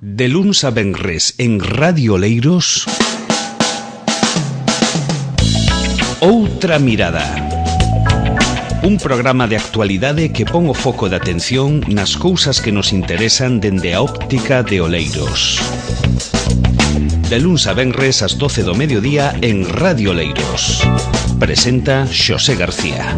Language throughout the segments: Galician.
De luns a venres en Radio Oleiros, Outra Mirada. Un programa de actualidade que pon o foco de atención nas cousas que nos interesan dende a óptica de Oleiros. De luns a venres ás 12 do mediodía en Radio Oleiros. Presenta Xosé García.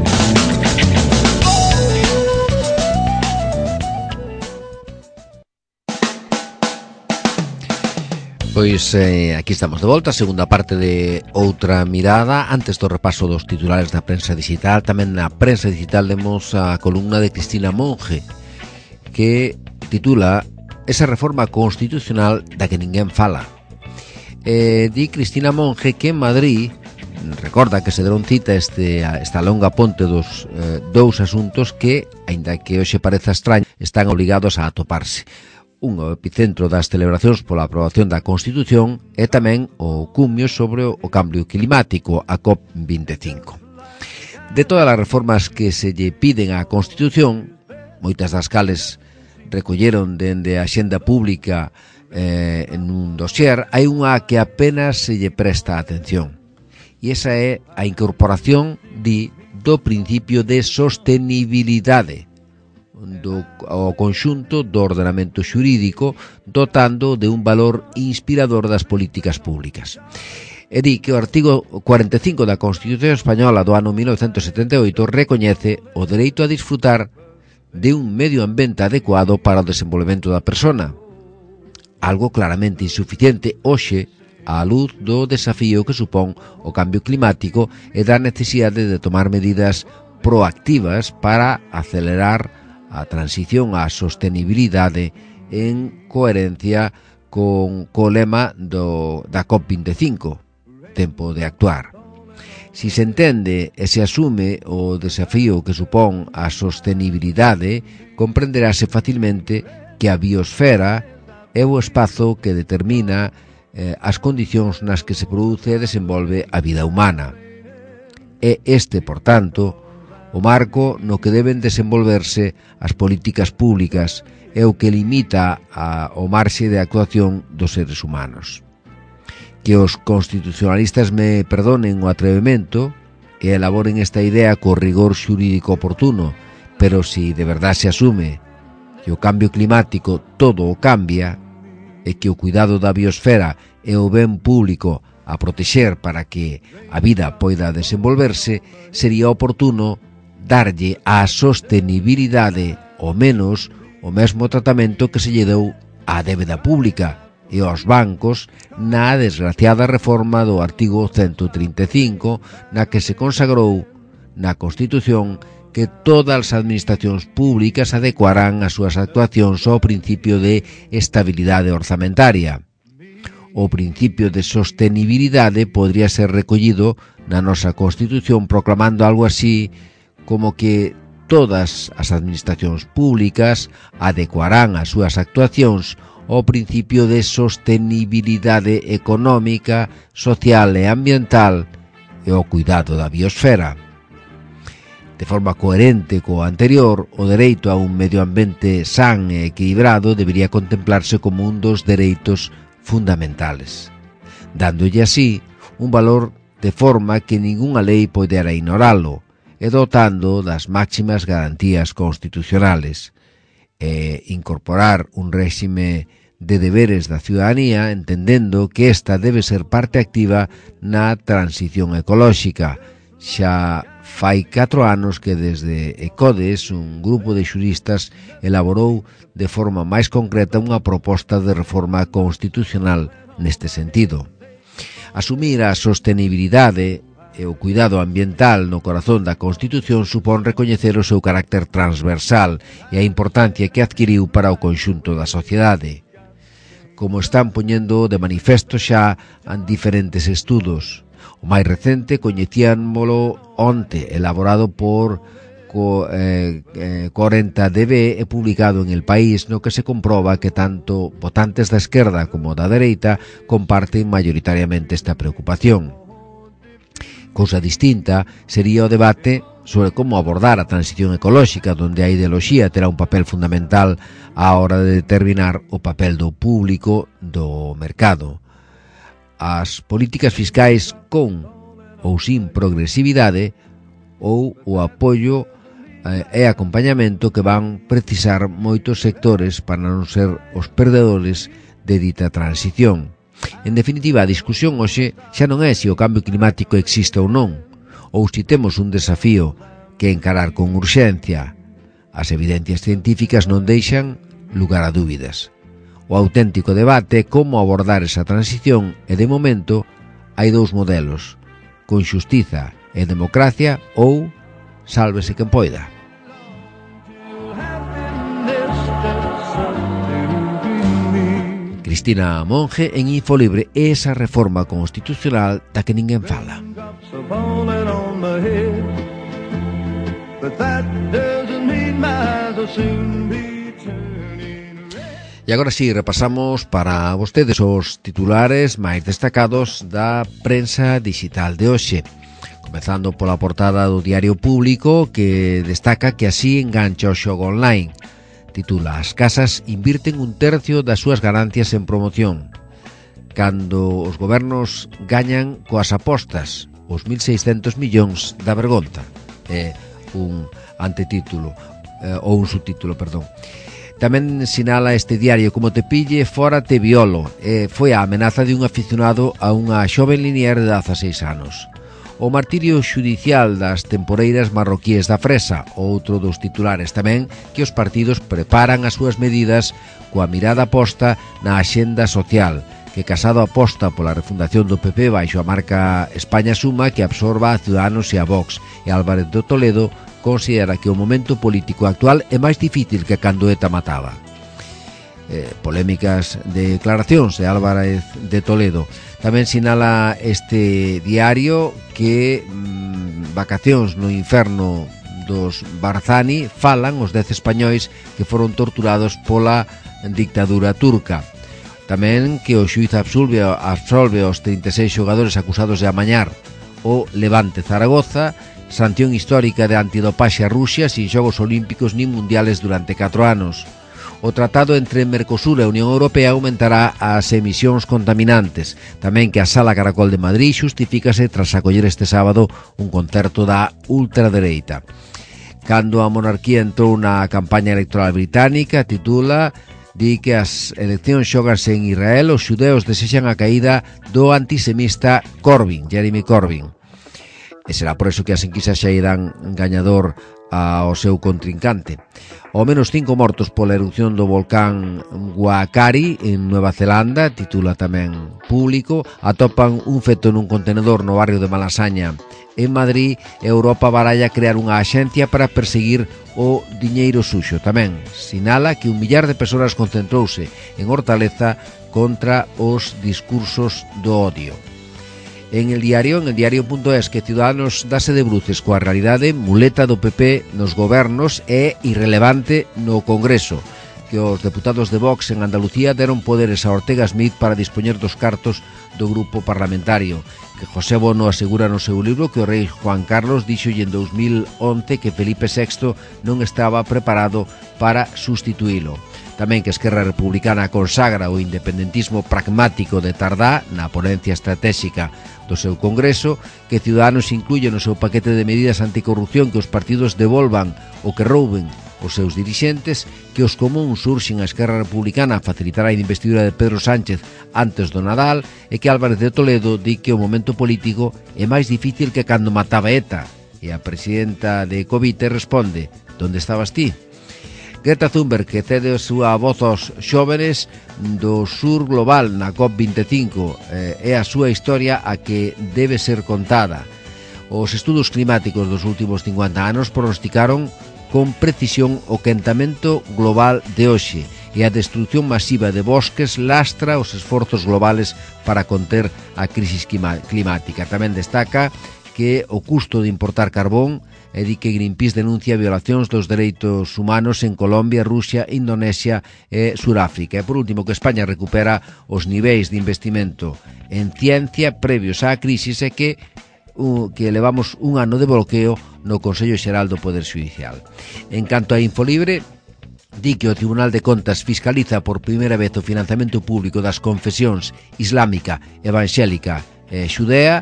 Pois aquí estamos de volta, segunda parte de Outra Mirada. Antes do repaso dos titulares da prensa digital, tamén na prensa digital temos a columna de Cristina Monge, que titula Esa reforma constitucional da que ninguén fala. Di Cristina Monge que en Madrid recorda que se deron cita esta longa ponte dos dous asuntos que, aínda que hoxe pareza extraño, están obligados a atoparse. Un epicentro das celebracións pola aprobación da Constitución e tamén o cumio sobre o cambio climático, a COP25. De todas as reformas que se lle piden á Constitución, moitas das cales recolleron dende a axenda pública en un dossier, hai unha que apenas se lle presta atención. E esa é a incorporación do principio de sostenibilidade ao conxunto do ordenamento xurídico, dotando de un valor inspirador das políticas públicas. E di que o artigo 45 da Constitución Española do ano 1978 recoñece o dereito a disfrutar de un medio ambiente adecuado para o desenvolvemento da persona, algo claramente insuficiente hoxe á luz do desafío que supón o cambio climático e da necesidade de tomar medidas proactivas para acelerar a transición á sostenibilidade en coherencia co lema da COP25, tempo de actuar. Si se entende e se asume o desafío que supón a sostenibilidade, comprenderase facilmente que a biosfera é o espazo que determina as condicións nas que se produce e desenvolve a vida humana. É este, por tanto, o marco no que deben desenvolverse as políticas públicas é o que limita o marxe de actuación dos seres humanos. Que os constitucionalistas me perdonen o atrevemento e elaboren esta idea co rigor xurídico oportuno, pero si de verdade se asume que o cambio climático todo o cambia e que o cuidado da biosfera é o ben público a protexer para que a vida poida desenvolverse, sería oportuno darlle á sostenibilidade ao menos o mesmo tratamento que se lle deu á débeda pública e aos bancos na desgraciada reforma do artigo 135, na que se consagrou na Constitución que todas as administracións públicas adecuarán as súas actuacións ao principio de estabilidade orzamentaria. O principio de sostenibilidade podría ser recollido na nosa Constitución proclamando algo así como que todas as administracións públicas adecuarán as súas actuacións ao principio de sostenibilidade económica, social e ambiental e ao cuidado da biosfera. De forma coherente co anterior, o dereito a un medio ambiente san e equilibrado debería contemplarse como un dos dereitos fundamentales, dándolle así un valor de forma que ningunha lei podera ignoralo, e dotando das máximas garantías constitucionales, e incorporar un réxime de deberes da ciudadanía, entendendo que esta debe ser parte activa na transición ecolóxica. Xa fai 4 anos que desde ECODES, un grupo de xuristas, elaborou de forma máis concreta unha proposta de reforma constitucional neste sentido. Asumir a sostenibilidade e o cuidado ambiental no corazón da Constitución supón recoñecer o seu carácter transversal e a importancia que adquiriu para o conxunto da sociedade. Como están poñendo de manifesto xa en diferentes estudos. O máis recente coñecíanmolo onte, elaborado por 40DB e publicado en El País, no que se comproba que tanto votantes da esquerda como da dereita comparten mayoritariamente esta preocupación. Cousa distinta sería o debate sobre como abordar a transición ecolóxica, donde a ideoloxía terá un papel fundamental á hora de determinar o papel do público do mercado. As políticas fiscais con ou sin progresividade ou o apoio e acompañamento que van precisar moitos sectores para non ser os perdedores de dita transición. En definitiva, a discusión hoxe xa non é se o cambio climático existe ou non, ou se temos un desafío que encarar con urxencia. As evidencias científicas non deixan lugar a dúbidas. O auténtico debate é como abordar esa transición e, de momento, hai dous modelos, con xustiza e democracia ou sálvese quen poida. Cristina Monge en Infolibre, esa reforma constitucional da que ninguén fala. E agora sí, repasamos para vostedes os titulares máis destacados da prensa digital de hoxe. Comezando pola portada do Diario Público, que destaca que así engancha o xogo online. Titula: as casas invirten 1/3 das súas ganancias en promoción. Cando os gobernos gañan coas apostas, os 1.600 millóns da vergonza. É un antetítulo, ou un subtítulo, perdón. Tamén sinala este diario: como te pille, fora te violo. Foi a amenaza de un aficionado a unha xoven linier de 16 anos. O martirio xudicial das temporeiras marroquíes da Fresa, outro dos titulares tamén, que os partidos preparan as súas medidas coa mirada posta na axenda social, que Casado aposta pola refundación do PP baixo a marca España Suma, que absorba a Ciudadanos e a Vox, e Álvarez de Toledo considera que o momento político actual é máis difícil que cando ETA mataba. Polémicas declaracións de Álvarez de Toledo. Tamén sinala este diario que vacacións no inferno dos Barzani falan os 10 españois que foron torturados pola dictadura turca. Tamén que o xuíz absolve aos 36 xogadores acusados de amañar o Levante Zaragoza, sanción histórica de antidopaxe a Rusia sin xogos olímpicos nin mundiales durante 4 anos. O tratado entre Mercosur e a Unión Europea aumentará as emisións contaminantes. Tamén que a Sala Caracol de Madrid xustifícase tras acoller este sábado un concerto da ultradereita. Cando a monarquía entrou na campaña electoral británica, titula, di que as eleccións xoganse en Israel, os xudeos desexan a caída do antisemista Jeremy Corbyn. E será por eso que as enquisas xa irán gañador ao seu contrincante. Ao menos 5 mortos pola erupción do volcán Huacari en Nueva Zelanda, titula tamén Público. Atopan un feto nun contenedor no barrio de Malasaña. En Madrid, Europa baralla crear unha axencia para perseguir o diñeiro suxo. Tamén sinala que 1 millar de persoas concentrouse en Hortaleza contra os discursos do odio. En el diario.es, que Ciudadanos dase de bruces coa realidade, muleta do PP nos gobernos e irrelevante no Congreso, que os deputados de Vox en Andalucía deron poderes a Ortega Smith para dispoñer dos cartos do grupo parlamentario, que José Bono asegura no seu libro que o rei Juan Carlos díxolle en 2011 que Felipe VI non estaba preparado para sustituílo. Tamén que Esquerra Republicana consagra o independentismo pragmático de Tardá na ponencia estratégica do seu Congreso, que Ciudadanos incluye no seu paquete de medidas anticorrupción que os partidos devolvan o que rouben os seus dirixentes, que os comuns surxen a Esquerra Republicana a facilitar a investidura de Pedro Sánchez antes do Nadal, e que Álvarez de Toledo di que o momento político é máis difícil que cando mataba ETA. E a presidenta de Covite responde: "Donde estabas ti?" Greta Thunberg, que cede a súa voz aos xóvenes do sur global na COP25, é a súa historia a que debe ser contada. Os estudos climáticos dos últimos 50 anos pronosticaron con precisión o quentamento global de hoxe, e a destrucción masiva de bosques lastra os esforzos globales para conter a crisis climática. Tamén destaca que o custo de importar carbón, e di que Greenpeace denuncia violacións dos dereitos humanos en Colombia, Rusia, Indonesia e Suráfrica. E por último, que España recupera os niveis de investimento en ciencia previos á crisis, e que levamos un ano de bloqueo no Consello Xeral do Poder Xudicial. En canto a Infolibre, di que o Tribunal de Contas fiscaliza por primeira vez o financiamento público das confesións islámica, evangélica e xudea,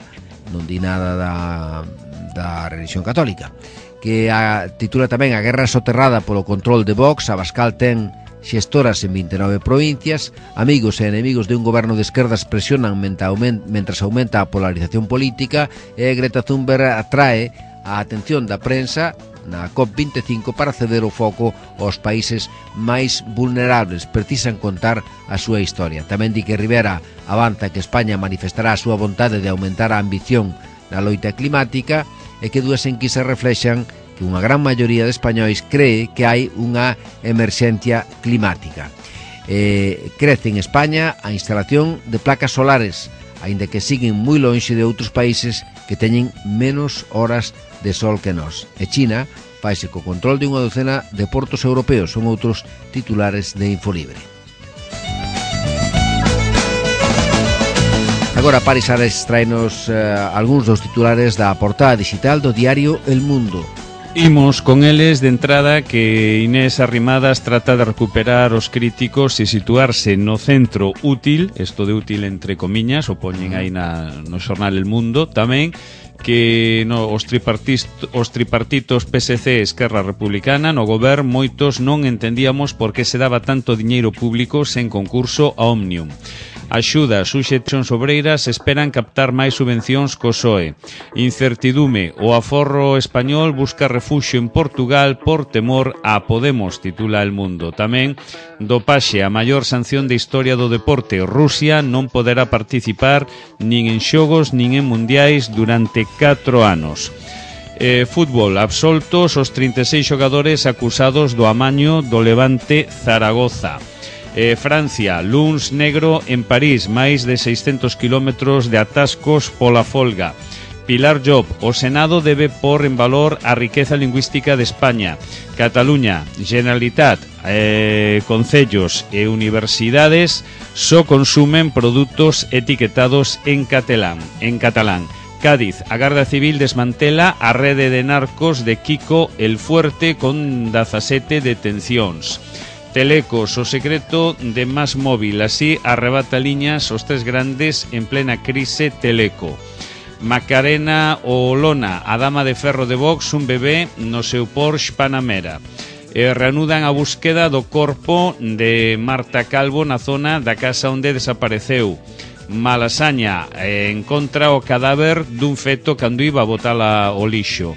non di nada da religión católica, que titula tamén A guerra soterrada polo control de Vox. Abascal ten xestoras en 29 provincias. Amigos e enemigos de un goberno de esquerdas presionan mentras aumenta a polarización política, e Greta Thunberg atrae a atención da prensa na COP25 para ceder o foco aos países máis vulnerables. Precisan contar a súa historia. Tamén di que Rivera avanza que España manifestará a súa vontade de aumentar a ambición na loita climática, e que dúas enquisas reflexan que unha gran maioría de españois cree que hai unha emerxencia climática. Crece en España a instalación de placas solares, aínda que siguen moi lonxe de outros países que teñen menos horas de sol que nós. E China faise co control de unha docena de portos europeos. Son outros titulares de Infolibre. Agora Paris Ares traenos algúns dos titulares da portada digital do diario El Mundo. Imos con eles de entrada que Inés Arrimadas trata de recuperar os críticos e situarse no centro útil, isto de útil entre comiñas, o poñen aí no xornal El Mundo, tamén que os tripartitos PSC e Esquerra Republicana no goberno moitos non entendíamos por que se daba tanto diñeiro público sen concurso a Omnium. Axudas, suxestións obreiras esperan captar máis subvencións co PSOE. Incertidume, o aforro español busca refuxio en Portugal por temor a Podemos, titula El Mundo. Tamén, dopaxe, a maior sanción de historia do deporte. Rusia non poderá participar nin en xogos nin en mundiais durante 4 anos. Fútbol, absoltos os 36 xogadores acusados do amaño do Levante Zaragoza. Francia, luns negro en París, máis de 600 kilómetros de atascos pola folga. Pilar Job, o Senado debe pôr en valor a riqueza lingüística de España. Cataluña, Generalitat, concellos e universidades só consumen produtos etiquetados en catalán. Cádiz, a Garda Civil desmantela a rede de narcos de Kiko el Fuerte con 17 detencións. Telecos, o secreto de MásMóvil, así arrebata liñas os tres grandes en plena crise Teleco. Macarena Olona, a dama de ferro de Vox, un bebé no seu Porsche Panamera. Reanudan a búsqueda do corpo de Marta Calvo na zona da casa onde desapareceu. Malasaña, encontra o cadáver dun feto cando iba a botala ao lixo.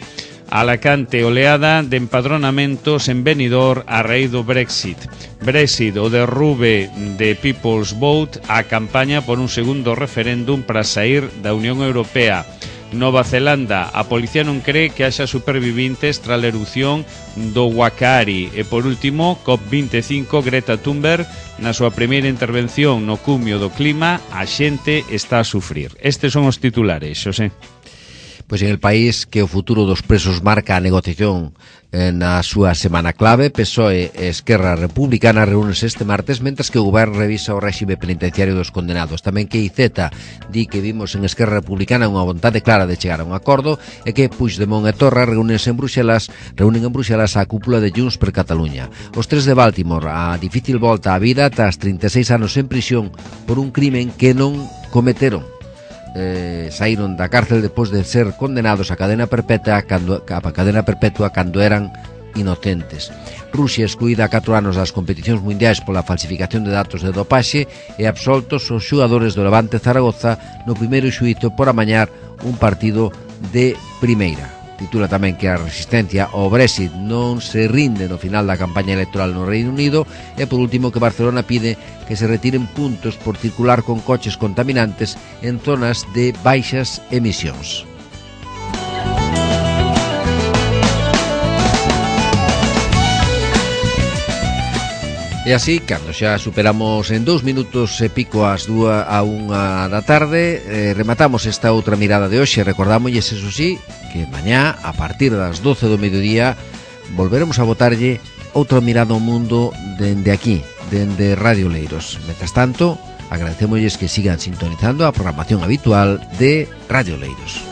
Alacante, oleada de empadronamentos en Benidorm a raíz do Brexit. Brexit, o derrube de People's Vote, a campaña por un segundo referéndum para sair da Unión Europea. Nova Zelanda, a policía non cree que haxa supervivintes tras a erupción do Wakaari. E por último, COP25, Greta Thunberg, na súa primeira intervención no cumio do clima, a xente está a sufrir. Estes son os titulares, Xosé. Pois en El País, que o futuro dos presos marca a negociación na súa semana clave. PSOE e Esquerra Republicana reúnense este martes, mentras que o goberno revisa o réxime penitenciario dos condenados. Tamén que IZ di que vimos en Esquerra Republicana unha vontade clara de chegar a un acordo, e que Puigdemont e Torra reúnen en Bruxelas a cúpula de Junts per Catalunya. Os tres de Baltimore, a difícil volta á vida tras 36 anos en prisión por un crimen que non cometeron. Saíron da cárcel depois de ser condenados a cadena perpetua cando eran inocentes. Rusia excluída a 4 anos das competicións mundiais pola falsificación de datos de dopaxe, e absoltos os xogadores do Levante Zaragoza no primeiro xuízo por amañar un partido de primeira. Titula tamén que a resistencia ao Brexit non se rinde no final da campaña electoral no Reino Unido, e por último que Barcelona pide que se retiren puntos por circular con coches contaminantes en zonas de baixas emisións. E así, cando xa superamos en 2 minutos e pico as 2 a 1 da tarde, rematamos esta outra mirada de hoxe. Recordámosles, eso sí, que mañá, a partir das 12 do mediodía, volveremos a botarlle outra mirada ao mundo dende aquí, dende Radio Oleiros. Mentras tanto, agradecémosles que sigan sintonizando a programación habitual de Radio Oleiros.